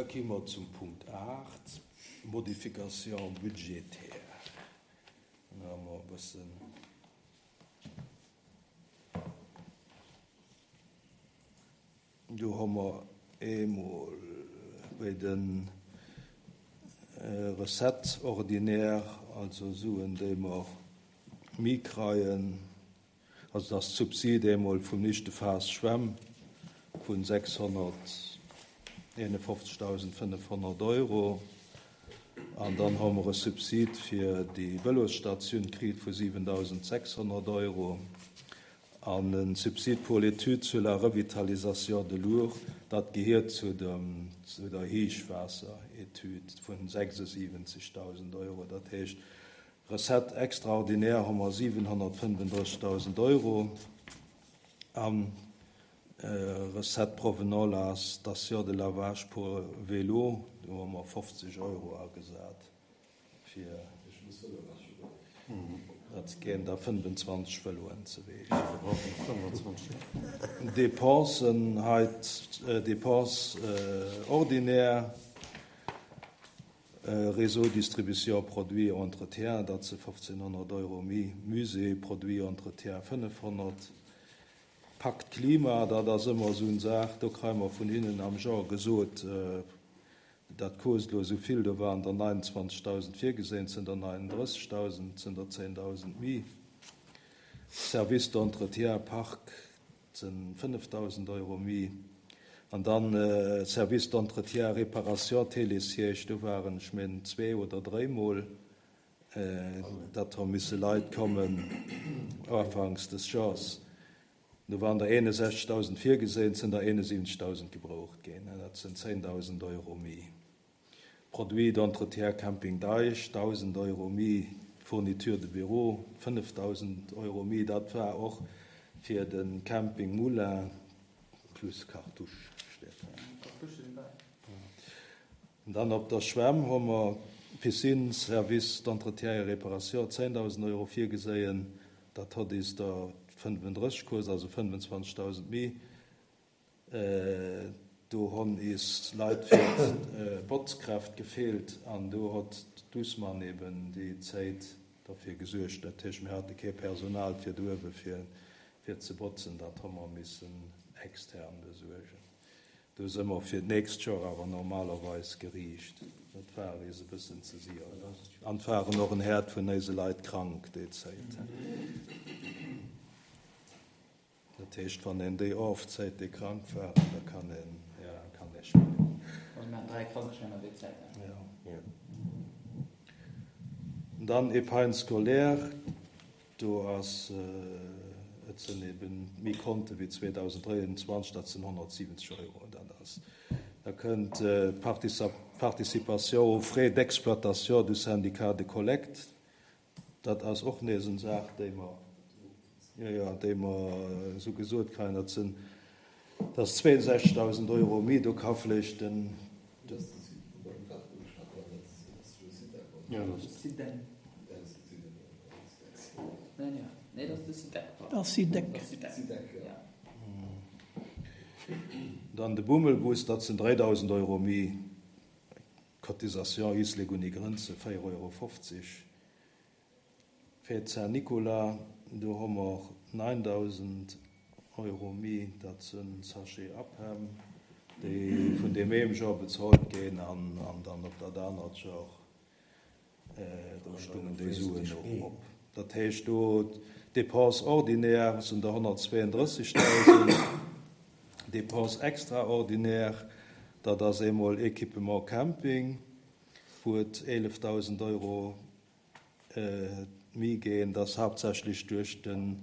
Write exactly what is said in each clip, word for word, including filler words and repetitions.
Da gi mer zum Punkt aacht, Modification budgétaire. Da hu mer e bëssen. Do hu mer eemol bei de Recettes ordinaires, also Suen, déi mer méi kreien, also dat ass d'Subsid eemol vum éischte Phas Schwämm vu sechshonnerteenefofzegdausendfënnefhonnert Euro. An dann hu mer e Subsid fir déi Vëlosstatioun kritt vu siwendausendsechshonnert Euro an e Subside pour l'étude sur la revitalisation de l'Our, dat gehiert zu dem, zu der Héichwaasseretüd vun sechsundsiwwenzegdausend Euro. Dat heescht, Recette extraordinaire hu mer siwenhonnertfënnefundrëssigdausend Euro an Recette provenant la station de lavage pour vélo, do hu mer fofzeg Euro agesat fir, dat ginn da fënnefenzwanzeg Vëloen ze Weech. Dépensen hei, Dépenses ordinaires, Réseau distribution produits entretien, dat si fofzénhonnert Euro méi, Musée produits entretien fënnefhonnert, Pakt Klima, dat ass ëmmer esou eng Saach, do kréie mer vun hinnen am Genre gesot, dat kost elo esou vill, do waren der neunundzwanzigtausend virgesinn, et sinn der neununddrëssigtausend, et sinn der zehntausend méi. Service d'entretien Park, et sinn fënneftausend Euro méi. An dann Service d'entretien réparation Télésiège, do waren, ech mengen, zwee oder dréimol, datt hu misse Leit kommen ufanks des Jahres. Do waren der eenundsechzigtausend virgesinn, et sinn der eenundsiwwenzigtausend gebraucht ginn. Dat sinn zehntausend Euro méi. Produit d'entretien Camping Deich, dausend Euro méi. Fourniture de bureau, fënneftausend Euro méi. Dat war och fir de Camping Moulin plus Cartouche steet hei. An dann op der Schwämm hu mer Piscine, Service d'entretien et réparation, zehntausend Euro virgeséien. Dat hott is der fënnefundrësseg Course, also fënnefenzwanzigtausend méi. Do honn is Leit fir d'Botzkräft gefeelt an do hott d'Dussmann eben déi Zéit derfir gesuergt. Dat heescht, mir hate kee Personal fir do uewe fir fir ze botzen, dat hu mer missen extern besuergen. Do si mer fir d'nächst Joer awer normalerweis geriicht. Dat war is e bëssen ze sier. An et waren och en Häerd vun éise Leit krank déi Zäit. Dat heescht, wann een déi ofzéit, déi krank waren, da kann een, ja, kann ee spillen. Also mir haten dräi Krankeschäiner déi Zäit. Ja. Dann Épargne scolaire, do ass, et sinn eben méi Konte wéi zweedausenddräiundzwanzeg, dat sinn honnertsiwwenzeg Euro. Dat ass, da kënnt Participation aux frais d'exploitation du syndicat de collecte, dat ass och nees eng Saach, déi mer, jo, jo, déi mer esou gesot kréien, dat sinn, dat ass zweeundsechzigtausend Euro méi, do ka vläicht den, Dann de Bummelbus, dat sinn dräidausend Euro méi, Cotisation Islek uni Grënze véier Euro fofzeg. Fête Saint-Nicolas, do hu mer neundausend Euro méi, dat sinn Sachet Apem, déi vun deem eem Joer bezuelt ginn an dann op dat anert Joer, do stungen déi Suen och op. Dat heescht do d'Dépenses ordinaires sinn der honnertzweeëndrëssigdausend, Dépenses extraordinaires, dat ass eemol Équipement Camping, wou et eelefdausend Euro méi ginn, dat ass haaptsächlech duerch de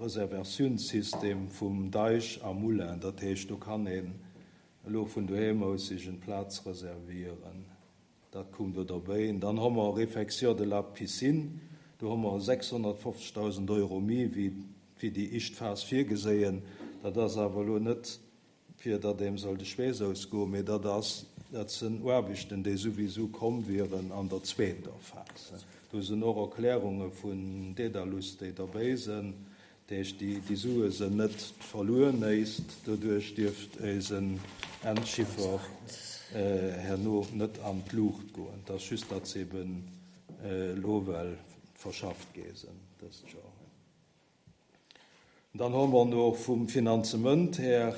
Reservatiounssystem vum Deich a Moulin. Dat heescht, do kann een elo vun doheem aus sech eng Plaz reservieren. Dat koum do derbäi. Dann hu mer Réfection de la piscine, do hu mer sechshonnertfofzigtausend Euro méi wéi wéi déi éischt Phas virgeséien. Dat ass awer elo net, fir datt eem soll de Schweess ausgoen, mee dat ass, dat sinn Aarbechten, déi souwisou komm wieren an der zweeter Phas. Do sinn och Erklärunge vun Dedalus, déi derbäi sinn. Dat heescht, déi, déi Sue sinn net verluer néist, doduerch dierft eisen Endchiffer herno net an d'Luucht goen. Et ass just, datt se eben elo well verschafft gi sinn dëst Joer. Dann hu mer no vum Finanzement her,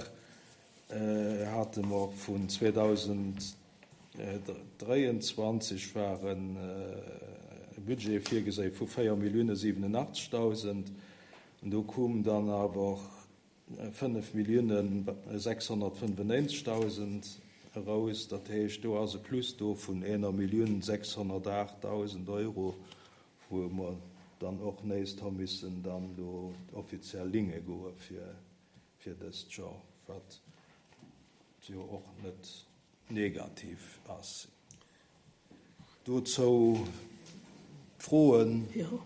hate mer vun zweedausenddräianzwanzeg war e Budget virgesinn vu véier Millioune siwenunachtzegdausend. An do koum dann awer fënnef Millioune sechshonnertfënnefennéinzegdausend eraus. Dat heescht, do ass e Plus do vun enger Millioun sechshonnertaachtdausend Euro, wou mer dann och nächst hu missen dann do offiziell Linge goe fir, fir dëst Joer, wat jo och net negativ ass. Dozou Froen? Jo.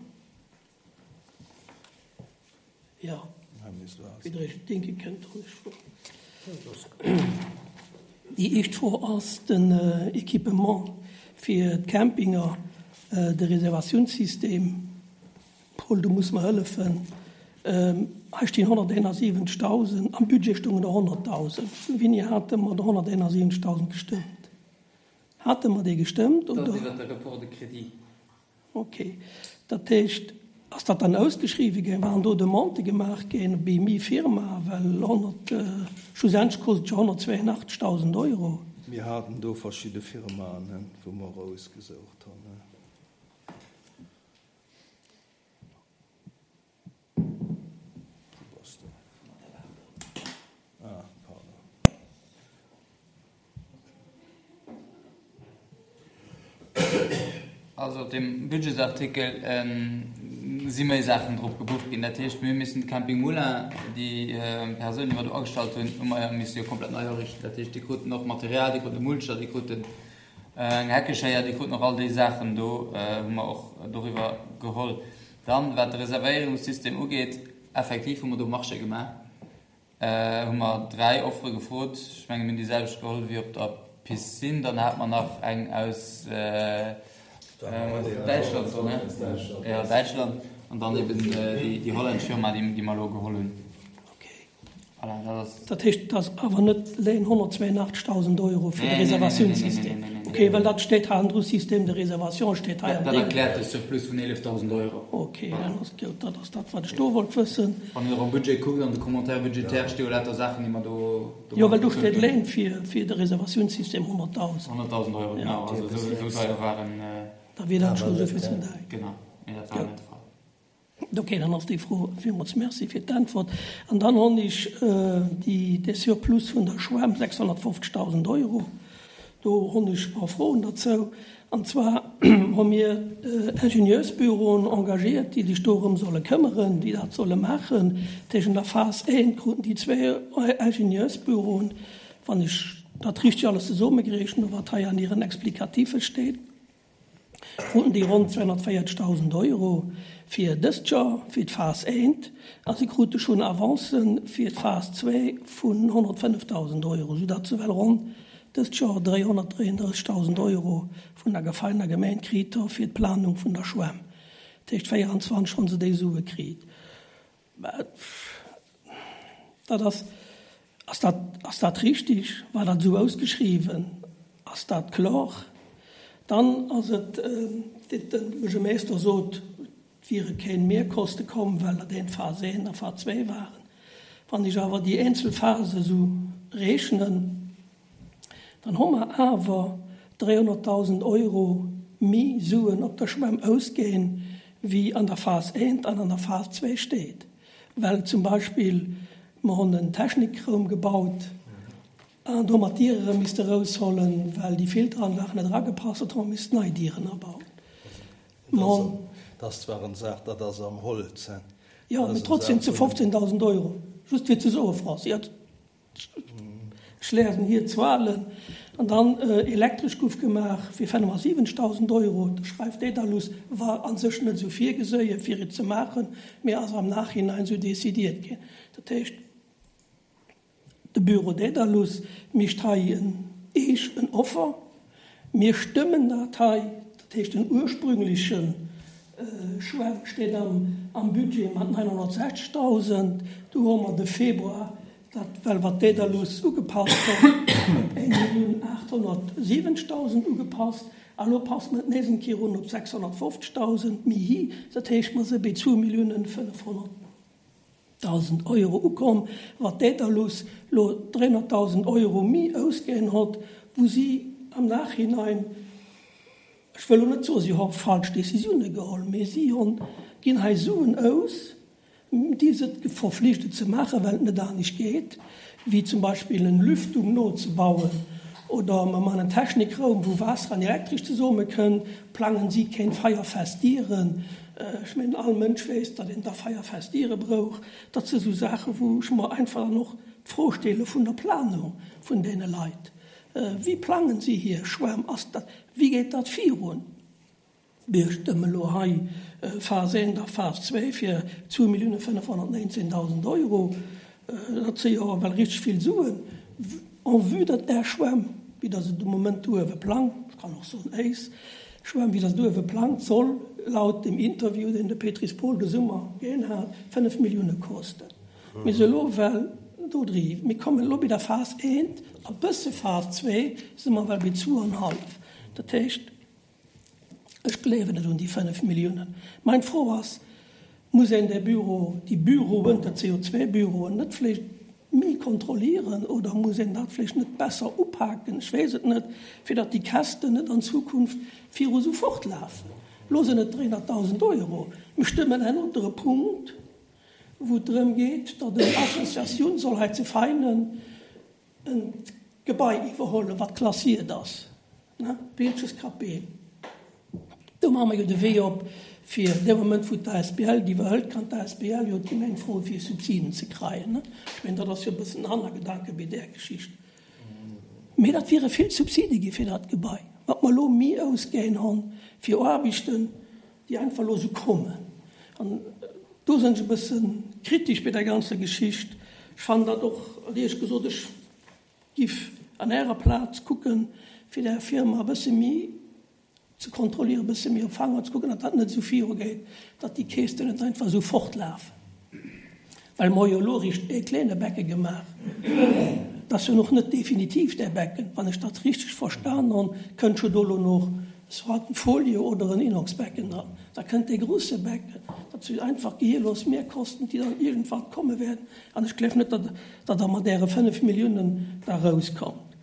Jo. Här Minister. Wéi Der Iech et denke kënnt, hunn ech Froen. Déi éischt Fro ass den Equipement fir d'Campinger, de Reservatiounssystem. Paul, du muss mer hëllefen. Hei stinn honnerteenasiwwenzegdausend, am Budget stoungen der honnertdausend. Wéini hate mer der honnerteenasiwwenzegdausend gestëmmt? Hate mer déi gestëmmt, Dat oder? ass iwwert de Report de crédit. Ok. Dat heescht, ass dat dann ausgeschriwwen ginn? Waren do Demandë gemaach ginn bei mi Firma? Well honnert, schlussendlech kostet et jo honnertzweiunachtzegdausend Euro. Mir haten do verschidde Firmaen, wou mer erausgesoucht hunn. Also op deem Budgetsartikel si méi Saachen drop gebucht ginn. Dat heescht, mir hu missen de Camping Moulin, déi Persoun, déi mer do agestallt hunn, hu mer misse jo komplett nei ariichten. Dat heescht, déi kruten och Material, déi kruten e Mulcher, déi kruten eng Heckeschéier, déi kruten och all déi Saachen do, hu mer och doriwwer geholl. Dann, wat de Reservéierungssystem ugeet, effektiv hu mer do Marché gemaach, hu mer dräi Offere gefrot. Ech menge mir hunn déi selwecht geholl wéi op der Piscine. Dann hate mer nach eng aus Däitschland, so, ne? Ja, Däitschland. An dann eben déi, déi hollännesch Firma, déi, déi mer elo geholl hunn. Okay. Voilà, dat ass. Dat heescht, et ass awer net léin honnertzweiunachtzegdausend Euro fir de Nee, nee, nee, nee, Reservatiounssystem? nee, nee, nee, nee. Okay, well dat steet hei andru, Système de réservation steet hei am Dat Ding. erkläert de Surplus vun eelefdausend Euro. Okay, dann ass et gutt. Dat ass dat, wat ech do wollt wëssen. Wann Dir am Budget kuckt, an de Commentaire budgétaire sti jo lauter Saachen, déi mer do, do Jo, well do mat steet bezuelt hunn. léin fir, fir de Reservatiounssystem honnertdausend. Honnertdausend Euro, Ja. genau. Also esou, esou deier waren. Da wier dat schonn esou vill zum Däi. Genau, mee dat war net de Fall. Okay, dann ass déi Fro. Villmools Merci fir d'Äntwert. An dann hunn ech déi, dee Surplus vun der Schwämm, sechshonnertfofzegdausend Euro. Do hunn ech e paar Froen derzou. An zwar hu mir Ingenieursbüroen engagiert, déi sech dorëm solle këmmeren, déi dat solle maachen. Tëschent der Phas eent kruten déi zwee Ingenieursbüroen, wann ech dat richteg alles zesummegerechent hu, wat hei an hiren Explicatiffe steet, kruten déi ronn zweehonnertvéierzegdausend Euro fir dëst Joer, fir d'Phas eent, a si krute schonn Avancen fir d'Phas zwee vun honnertfënnefdausend Euro, soudatt se well ronn dëst Joer dräihonnertdräiunddrëssigdausend Euro vun der Gefeiner Gemeinde kritt hu fir d'Planung vun der Schwämm. Dat heescht, véierundzwanzeg hunn se déi Sue kritt. Dat ass, ass dat, ass dat richtig? War dat esou ausgeschriwwen? Ass dat kloer? Dann ass et, wéi de Buergermeeschter sot, et wiere keng Mehrkoste komm, well dat een Phas eent a Phas zwee waren. Wann ech awer déi eenzel Phase esou rechnen, dann hu mer awer dräihonnertdausend Euro méi Suen op der Schwämm ausginn, wéi an der Phas eent an an der Phas zwee steet. Well zum Beispill mer hunn en Technikraum gebaut, an do mat Diere misste rausholen, well déi Filteranlag net eragepasst huet, hu mer missten nei Dieren abauen. Dat ass zwar eng Saach, dat ass am Holz, hein. Jo, mee trotzdem zu fofzehntausend Euro. Just fir ze soen, Franz, ja, ech lesen hier Zuelen. An dann elektresch gouf gemaach fir fënnefundsiwwenzegtausend Euro. Da schreift Dedalus, war an sech net esou virgeséien, fir et ze maachen, mee ass am Nachhinein esou décidiert ginn. Dat heescht, de Büro Dedalus mécht hei en Eech en Offer. Mir stëmmen dat hei, dat heescht den ursprünglechen Schwämm steet am Budget mat neunhunnertsechzigtausend. Do hu mer de Februar dat, well wat Daedalus ugepasst huet, op eng Millioun aathonnertsiwwenzigtausend ugepasst. A lo passe mer et nees eng Kéier un op sechshonnertfofzigtausend méi hi. Dat heescht, mer si bei zwou Milliounen fënnefhonnertdausend Euro ukomm, wat Daedalus lo dräihonnerttausend Euro méi ausginn huet, wou si am Nachhinein, ech wëll lo net soen, si hu falsch Décisioune geholl, mee si hunn, ginn hei Suen aus, déi se verflichtet ze maachen, well et net anescht geet, wéi zum Beispill en Lüftung nozebauen oder mer man en Technikraum, wou Waasser an Elektresch zesumme kënnt, plangen si keng feierfest Dieren. Ech mengen, all Mënsch weess, datt een da feierfest Diere brauch. Dat si sou Saachen, wou ech mer einfach dann och d'Fro stelle vun der Planung vun deene Leit. Wéi plangen si hir Schwämm? Ass dat, wéi geet dat virun? Mir stëmme elo hei Phas eent a Phas zwee fir zwou Millioune fënnefhonnertneunzehntausend Euro. Dat si jo ewell richteg vill Suen. En vue datt Är Schwämm, wéi Der se de Moment do uewe plangt, ech kann och soen éis Schwämm, wéi Der se do uewe plangt, soll laut dem Interview, deen de Pétris Paul de Summer ginn hat, fënnef Millioune kosten. Mir si elo ewell do dri. Mir kommen elo bei der Phas eent a bësse Phas zwee si mer ewell bei zwou an hallef. Dat heescht, ech gleewen net un déi fënnef Milliounen. Meng Fro ass, Muss een dee Büro, déi Büroen, dat si jo zwee Büroen, net vläicht méi kontrollieren oder muss een dat vläicht net besser upaken, ech weess et net, fir datt déi Käschten net an Zukunft viru sou fortlafen? Elo sinn et dräihunnerttausend Euro. Mir stëmmen en anere Punkt, wou et drëm geet, datt eng Associatioun soll hei zu Veinen en Gebai iwwerhuelen, wat klassiert ass, ne, Wilcheskapel. Do maache mer jo de Wee op, fir dee Moment, wou d'A S B L déi iwwerhëlt, kann d'A S B L jo d'Gemeng froen, fir Subsiden ze kréien. Ech mengen, dat ass jo e bëssen den Hannergedanke bei där Geschicht. Mee dat wiere vill Subside gi fir dat Gebai, wat mer elo méi ausginn hunn fir Aarbechten, déi einfach elo esou kommen. An do sinn ech e bësse kritesch bei der ganzer Geschicht. Ech fannen dat och, éierlech gesot, ech giff an Ärer Plaz kucken, fir där Firma e bësse méi ze kontrollieren, e bësse méi op d'Fanger ze kucken, datt dat net esou virugeet, datt déi Keesten net einfach esou fortlafen. Well mer hu jo elo eréischt ee kleene Becke gemaach. Dat ass jo nach net definitiv dee Becken. Wann ech dat richteg verstan hunn, kënnt jo do elo nach soit en Folie oder en Inoxbecken dran. Da kënnt dee grouse Becken. Dat si einfach gehirlos Mehrkosten, déi dann iergendwann komme wäerten. An ech gleef net, datt Der mat Äre fënnef Milliounen da erauskommt.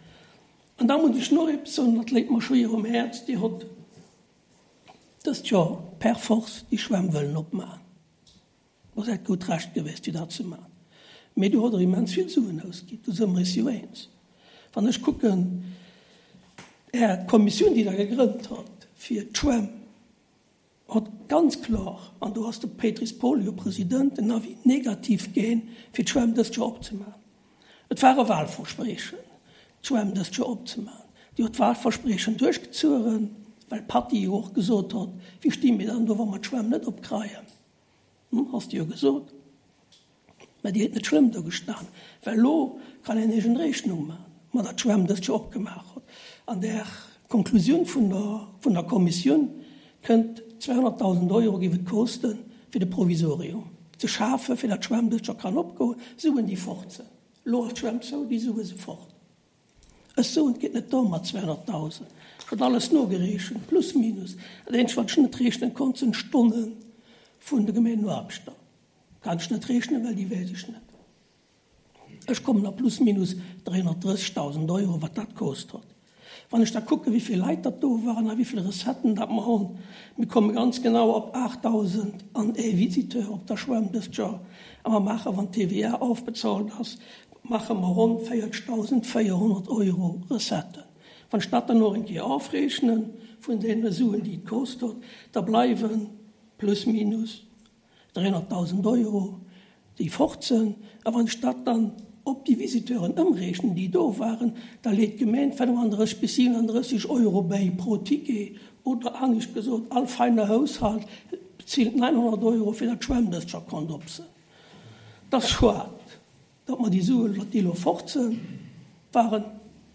An da muss ech nach eppes soen, dat léit mer schwéier um Häerz, Dir hutt dëst Joer per force déi Schwämm wëllen opmaachen. Ass äert gutt Recht gewiescht, fir dat ze maachen. Mee do hutt Der immens vill Suen ausginn, do si mer eis jo eens. Wann ech kucken, Är Kommissioun, déi Der gegrënnt hutt fir d'Schwämm, huet ganz kloer, an do ass de Pétris Paul jo President, en Avis négatif ginn, fir d'Schwämm dëst Joer opzemaachen. Et war e Wahlversprechen, d'Schwämm dëst Joer opzemaachen. Dir hutt d'Wahlversprechen duerchgezueren, well d'Patty jo och gesot huet, Wéi sti mir dann do, wa mer d'Schwämm net opkreien? Hm, has de jo gesot. Mä déi huet net schlëmm do gestan, well elo kann een eegen Rechnung maachen, ma datt d'Schwämm dëst Joer opgemaach huet. An der Konklusioun vun der, vun der Kommissioun kënnt, zweihonnerttausend Euro géif et kosten, fir de Provisorium ze schafen, fir datt d'Schwämm dëst Joer kann opgoen. Suen, déi fort sinn. Elo ass d'Schwämm zou, déi Sue si fort. Ech soen, et geet net dorëm mat zweihonnerttausend. Ech hunn alles nogerechent, plus minus. Dat eenzegt, wat ech net rechnen konnt, sinn d'Stonne vun de Gemeengeaarbechter. Kann ech net rechnen, well déi weess ech net. Ech kommen op plus minus dräihonnertdrëssegtausend Euro, wat dat kost huet. Wann ech da kucken, wéi vill Leit dat do waren a wéi vill Recetten dat mer hunn, mir komme ganz genau op aachtdausend an ee Visiteur op der Schwämm dëst Joer. A mer maachen, wann d'T V A ofbezuelt ass, maache mer ronn véierzegdausendvéierhonnert Euro Recetten. Wann ech dat dann och eng Kéier ofrechne vun deene Suen, déi et kost huet, da bleiwe plus minus dräihonnertdausend Euro, déi fort sinn. A wann ech dat dann op déi Visiteuren ëmrechnen, déi do waren, da leet d'Gemeng fënnefandrësseg bis siwenandrësseg Euro bäi pro Ticket. Oder anescht gesot, all feiner Haushalt bezilt neunhonnert Euro, fir datt d'Schwämm dëst Joer konnt op sinn. Dat ass schued, datt mer déi Suen, datt déi elo fort sinn, waren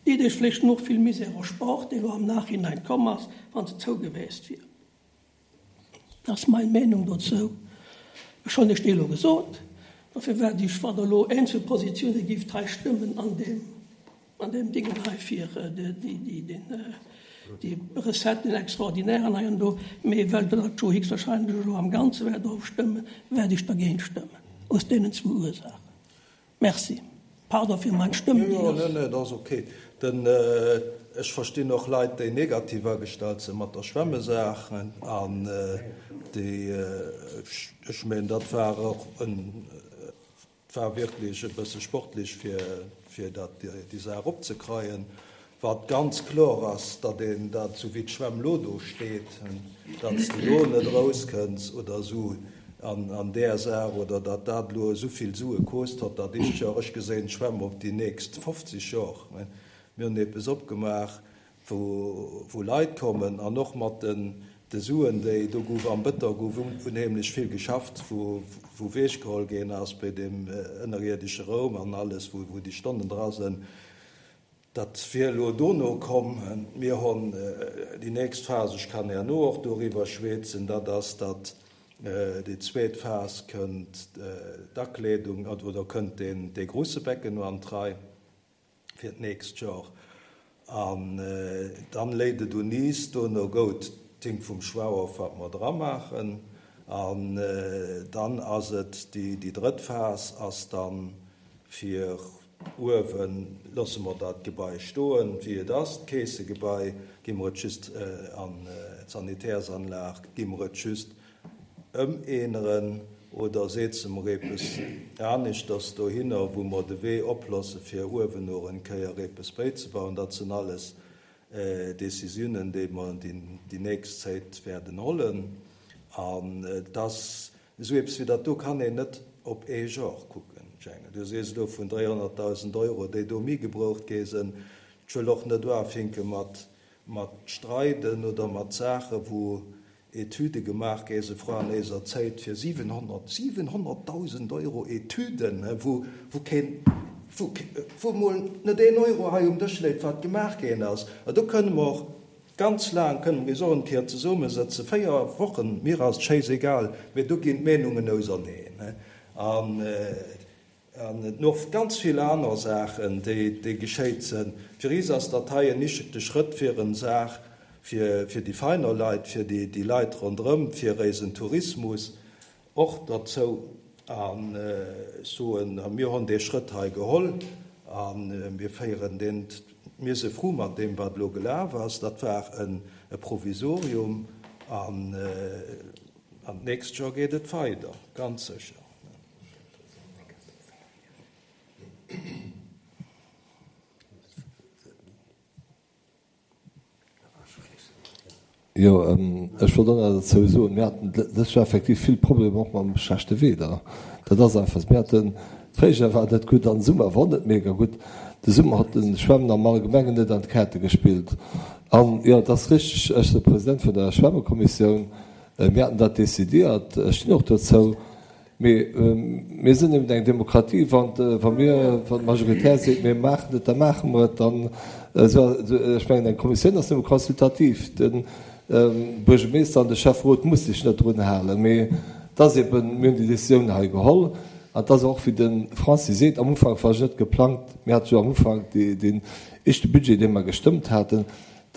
déi Deeg vläicht nach vill Misär erspart, déi elo am Nachhinein komm ass, wa se zou gewiescht wier. Dat ass meng Meenung dozou. Ech hunn iech déi elo gesot. Dofir wäert ech, wann Der elo eenzel Positioune gift hei stëmmen an deem, an deem Dingen hei fir déi Recetten extraordinairen hei an do, mee well Der dat jo héchstwahrscheinlech elo am Ganze wäert ofstëmmen, wäert ech dergéint stëmmen, aus deenen zwou Ursaachen. Merci. Pardon fir meng Stëmm, déi ass. Jo, nee, dat ass ok. Den, ech verstinn och Leit, déi negativ agestallt sinn mat der Schwämmesaach an déi, ech mengen, dat war och en, et war wierklech e bësse sportlech, fir, fir dat, déi Saach opzekreien. Wat ganz kloer ass, datt een dat, esou wéi d'Schwämm elo do steet, datt s de do net erauskënns oder esou an, an där Saach, oder datt dat elo esou vill Sue kost hott, dat éischt Joer. Ech geséin d'Schwämm op déi nächst fofzeg Jor. Mir hunn eppes opgemaach, wou, wou Leit kommen an och mat den, de Suen, déi do gouf am Bëtter gouf unheemlech vill geschafft, wou, wou wechgeholl ginn ass bei deem ënnerierdesche Raum an alles, wou, wou déi Stonnen dra sinn. Dat wier elo dono komm. Mir hunn déi nächst Phas, ech kann herno och doriwwer schwätzen, dat ass, datt déi zweet Phas kënnt d'Akleedung oder kënnt deen, dee grouse Becken no an d'Rei fir d'nächst Joer. An dann léit et un is, dono gout d'Ding vum Schwauer, wat mer dra maachen. An dann ass et déi, déi drëtt Phas ass dann fir uewen loosse mer dat Gebai stoen, wéi et ass, d'Keessegebai, gi mer et just an d'Sanitärs-Anlag, gi mer et just ëmänneren oder seetze mer eppes aneschters dohinner, wou mer de Wee oplosse fir uewen och en Kéier eppes bäizebauen. Dat sinn alles Décisiounen, déi mer déi nächst Zäit wäerten hollen. An et ass esou eppes wéi dat do kann een net op ee Joer kucken. Jänge, du sees elo vun dräihonnertdausend Euro, déi do méi gebraucht gi sinn. Ech wëll och net uafinke mat, mat Streiden oder mat Saachen, wou Etüde gemaach gi sinn vrun eiser Zäit fir siwenhonnert, siwenhonnertdausend Euro Etüden, wou, wou keen, wou, wou emol net een Euro hei um Dësch léit, wat gemaach ginn ass. A do kënne mer och ganz laang, kënne mer is och en Kéier zesummesëtzen, véier Wochen, mir ass et schéissegal, mee do ginn d'Meenungen auserneen. An An et och ganz vill aner Saachen, déi, déi geschéit sinn. Fir is ass dat hei en ischegte Schrëtt fir en Saach, fir, fir déi feiner Leit, fir déi, déi Leit ronderëm, fir éisen Tourismus och derzou. An ech soen, mir hunn dee Schrëtt hei geholl a mir féieren deen, mir si frou mat deem, wat elo gelaf ass. Dat war en, e Provisorium an, an d'nächst Joer geet et weider, ganz sécher. Jo, ech wollt och nach dozou soen, mir haten dëst Joer effektiv vill Problemer och mam schlechte Wieder. Dat ass einfach esou. Mir haten, d'Fréijoer war net gutt an de Summer war och net mega gutt. De Summer hat de Schwämmen am Allgemengen net an d'Kaarte gespillt. An jo, et ass richteg, ech sinn de President vun der Schwämmekommissioun, mir haten dat décidiert, ech stinn och dozou. Mee mir sinn eben eng Demokratie, wann wa mir, wann d'Majoritaire seet, mir maachen et, da maache mer et. Dann, ech mengen, eng Kommissioun ass nëmme consultativ. De Buergermeeschter an de Schäfferot muss sech net drun halen. Mee et ass eben, mir hunn déi Décisioun hei geholl. An et ass och, wéi de Francis seet, am Ufank war et net geplangt. Mir hate jo am Ufank deen éischte Budget, dee mer gestëmmt haten,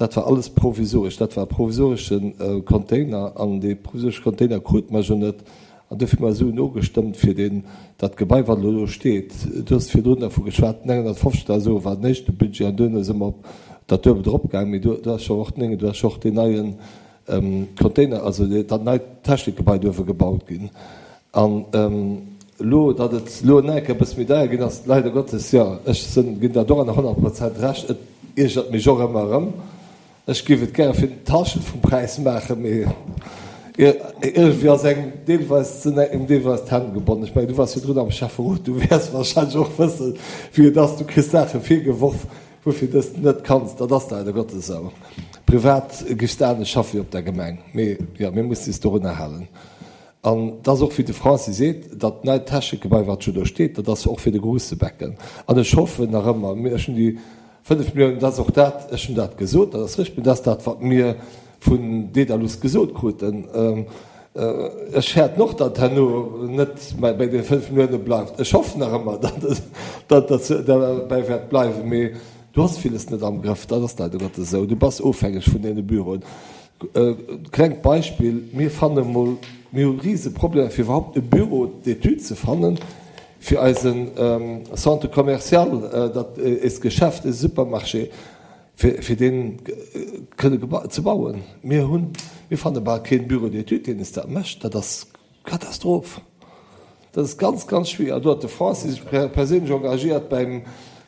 dat war alles provisoresch. Dat war e provisoresche Container an dee provisoresche Container krute mer jo net. An dofir hu mer esou nogestëmmt fir deen, dat Gebai, wat elo do steet. Du hues virdrun dervu geschwat, nénghonnertfofzegdausend Euro war den éischte Budget an duerno si mer op dat Duebelt eropgaangen. Mee do, do ass jo och den, do ass jo och deen neie Container, also dat neit Technikgebai do uewe gebaut ginn. An elo, datt et elo en Enke e bësse méi deier ginn ass, leider Gottes, jo, ech sinn, ginn der doranner honnert Prozent Recht, et iergert mech och ëmmer erëm. Ech géif et gäre fir d'Hallschent vum Präis maachen, mee iergendwéi ass engem deelweis, sinn engem deelweis d'Hänn gebonnen. Ech mengen, du waars virdrun am Schäfferot, du wäers wahrscheinlech och wëssen, wéi et ass. Du kriss Saache virgeworf, woufir du s net kanns. Dat ass leider Gottes esou. Privat géifs de anescht schaffe wéi op der Gemeng. Mee jo, mir mussen is dorunner halen. An et ass och, wéi de Francis seet, dat neit Technikgebai, wat jo do steet, dat ass jo och fir de Groussebecken. An ech hoffen nach ëmmer, ech hunn déi fënnef Milliounen, dat ass och dat, ech hunn dat gesot, dat ass richtig, mee dat ass dat, wat mir vun Dedalus gesot kruten. Ech fäerten och, datt herno net bei deene fënnf Millioune bleift. Ech hoffen nach ëmmer, datt et derbäi wäert bleiwen. Mee du has villes net am Grëff. Dat ass leider Gottes esou. Du bass ofhängeg vun deene Büroen. Klengt Beispill, Mir fanne mol, mir hu rise Problemer, fir iwwerhaupt e Büro d'études ze fannen, fir eise Centre commercial, dat eist Geschäft, eise Supermarché, fir dee kënne ze bauen. Mir hunn, mir fanne bal keen Bureau d'études, deen es dat mécht. Dat ass Katastroph. Dat ass ganz, ganz schwierig. An do huet de Francis sech perséinlech engagiert beim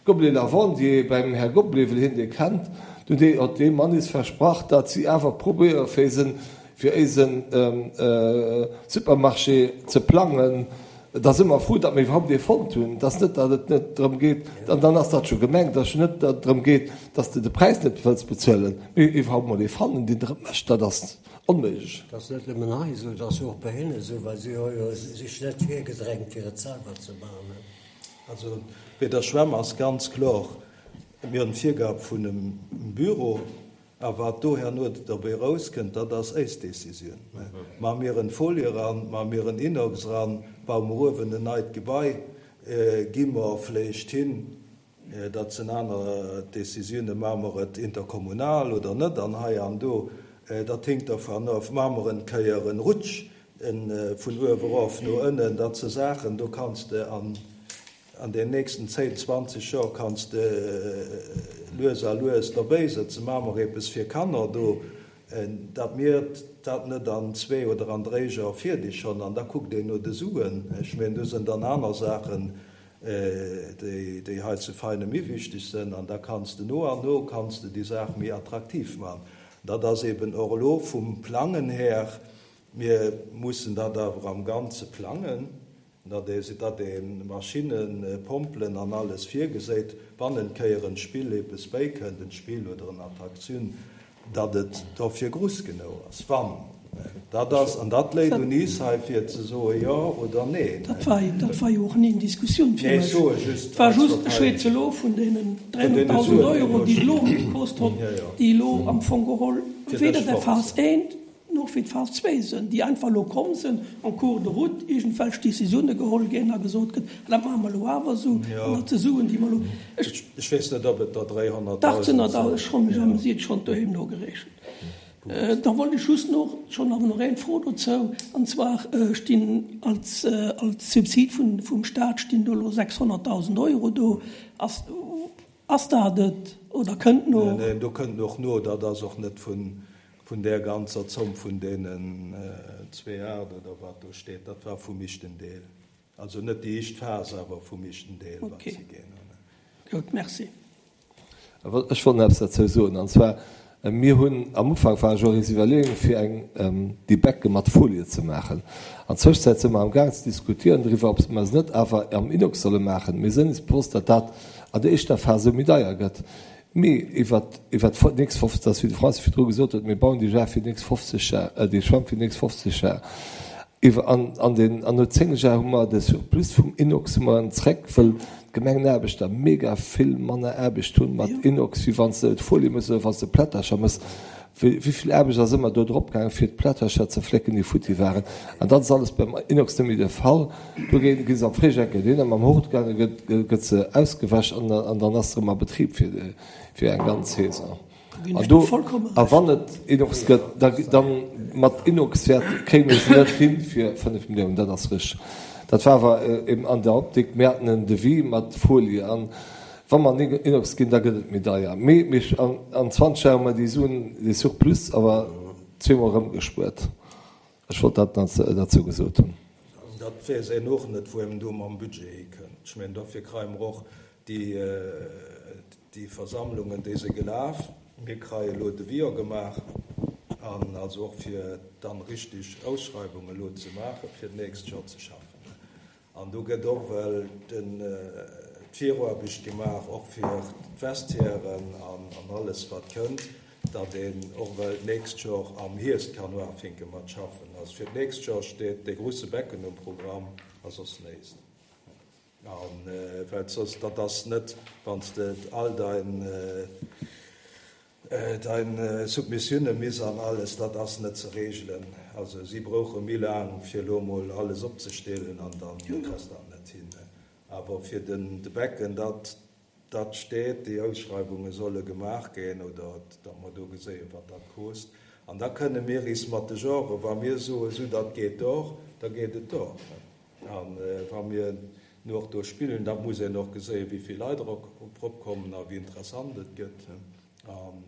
Gobelet Lavandier, beim Här Gobelet, well hien dee kennt. Do huet dee Mann is versprach, datt si awer probéiere fir eisen, fir éisen Supermarché ze plangen. Da si mer frou, datt mir iwwerhaupt ee fonnt hunn. Et ass net, datt et net drëm geet, an dann ass dat scho gemengt, datt et net drëm geet, datt s de de Präis net wëlls bezuelen, mee iwwerhaupt emol ee fannen, deen der et mécht, dat ass onméiglech. Et ass net nëmmen hei esou, et ass jo och bei hinne esou, well si hu jo sech net virgedrängt, fir et selwer ze maachen. Also bei der Schwämm ass ganz kloer, mir hunn d'Virgab vun em Büro, A wat do herno derbäi erauskënnt, dat ass éis Décisioun. Maache mir en Folie eran, maache mir en Inox eran, baue mer uewen en neit Gebai, gi mer vläicht hin, dat sinn aner Décisiounen, maache mer et interkommunal oder net an hei an do, dat hinkt dervan of, maache mer en Kéier en Rutsch vun uewe erof no ënnen, dat si Saachen, do kanns de an. An den nächsten zéin, zwanzeg Joer kanns de lues a lues derbäisëtzen, maache mer eppes fir Kanner do, datt mir dat net an zwee oder an dréi Joer fierdeg hunn. An da kuckt een no de Suen. Ech mengen, do sinn dann aner Saachen, déi hei zu Veinen méi wichteg sinn. An da kanns de no an no kanns de déi Saach méi attraktiv maachen. Dat ass eben och elo vum Plangen her, mir mussen dat awer am Ganze plangen. Datt ee datt ee Maschinnen, Pompelen an alles virgeséit, wann en Kéier en Spill eppes bäikënnt, en Spill oder en Attraktioun, datt et dofir gruss genou ass. Wann dat ass, an dat léit un is hei fir ze soe jo oder neen. Dat war, dat war jo och ni en Diskussioun fir Nee, ech mech. soe just Et war eis just, ech Partei. schwätze elo vun deenen Vun deene dräihonnertdausend Suen, déi Euro, elo déi elo stinn. gekost hunn, Jo, jo. déi elo am Fong geholl Fir weder dech der fort Phas sinn. eent, Noch wéi d'Phas zwee sinn, déi einfach elo komm sinn, en cours de route iergendwelch Décisioune geholl ginn a gesot gëtt, dat maache mer elo awer esou, an dat si Suen, déi mer elo. Ech weess net, ob et der Dach, sinn der dräihonnertdausend der, sinn. ech hunn mech amüsiert, schonn doheem nogerechent. Da wollt ech just nach, ech hunn awer nach eng Fro dozou, an zwar stinn als, als Subsid vun, vum Stat stinn do elo sechshonnertdausend Euro do. Ass, ass dat et oder kënnt no? Neen, neen, do kënnt och no, dat ass och net vun, Vun där ganzer Zomm vun deenen zwee Aacht oder wat do steet, dat war vum ischten Deel. Also net déi ischt Phas, awer vum ischten Deel, wat si ginn hunn. Gutt, merci. Ech wollt nach eppes derzou soen, an zwar, mir hunn am Ufank war jo eis Iwwerleeung, fir eng déi Becke mat Folie ze maachen. An Zwëschzäit si mer amgaang ze diskutieren driwwer, ob mer se net awer am Inox solle maachen. Mir sinn eis bewosst, datt dat an der éischter Phas esou méi deier gëtt. Mee iwwert iwwert d'fo nächst fofzeg, dat ass wéi de Francis virdru gesot huet, mir bauen déi Jar fir déi nächst fofzeg Jar, déi Schwämm fir déi nächst fofzeg Jar. Iwwer an an den an no zéng Jar hu mer de Surplus vum Inox hu mer en zréck, wëll d'Gemengenaarbechter mega vill manner Aarbecht hunn mat Inox, wéi wann s de d'Folie mëss oder wann s de Plättercher mëss. Wéi wéi vill Aarbecht ass ëmmer do drop gaangen, fir d'Plättercher ze flécken, déi futti waren. An dat ass alles beim Inox net méi de Fall. Do ginn gi se am Fréijoer gëtt een mam Hort gaangen, gëtt gëtt se ausgewäsch an an dann ass se erëm a Betrib fir fir eng ganz Saison. Ginn An ech dir do vollkomme a Recht. wann et Inox gëtt, da dann mat Inox wäert kréie mir se net hin fir fënnef Milliounen, dat ass richteg. Dat war awer eben an der Optik, mir haten en Devis mat Folie an Wa mer an Inox ginn, da gëtt et méi deier. Mee mir an zwanzeg Joer hu mer déi Suen, dee Surplus awer zweemol erëmgespuert. Ech wollt dat nach derzou gesot hunn. Dat weess een och net, wou een do mam Budget hikënnt. Ech mengen, dofir kreie mer och déi Versammlungen, déi si gelaf. Mir kreie elo Deviser gemaach, an also och fir dann richtig Ausschreiwungen elo ze maachen, fir d'nächst Joer ze schaffen. An do gëtt och well d'Viraarbecht gemaach, och fir d'Vestiairen an alles wat kënnt, datt een och well d'nächst Joer am Hierscht kann uafinke mat schaffen. Also fir d'nächst Joer steet dee grusse Becken um Programm a soss näischt. A well soss, dat ass net, wann s de all dein Dein Submissioune miss an alles, dat ass net ze regelen. Also si brouche méi laang, fir elo emol alles opzestellen an dann kriss dat net hin. Awer fir den de Becken, dat dat steet, déi Ausschreiwunge solle gemaach ginn oder datt mer do geséien, wat dat kost. An da kënne mir is mat de Genren, wa mir soen, esou dat geet och, da geet et och. An wa mir nu och do spillen, da muss een och geséien, wéi vill Leit erop kommen a wéi interessant et gëtt. An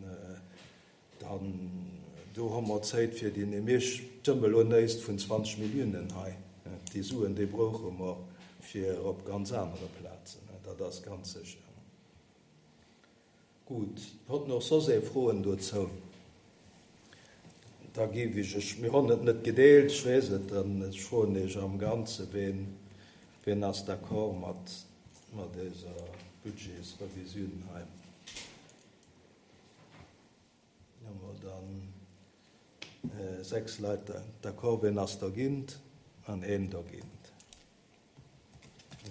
dann do hu mer Zäit fir déi, mir stëmme elo nächst vun zwanzeg Milliounen hei. Déi Suen, déi brauche mer fir op ganz anere Plazen, dat ass ganz sécher. Gutt, hott nach soss ee Froen dozou? Da géif ech, ech, mir hunn et net gedeelt, ech weess et, dann ech froen Iech am Ganze, ween, ween ass d'accord mat, mat dëser Budgetsrevisioun hei? Hu mer dann sechs Leit d'accord, ween ass dergint an een dergint.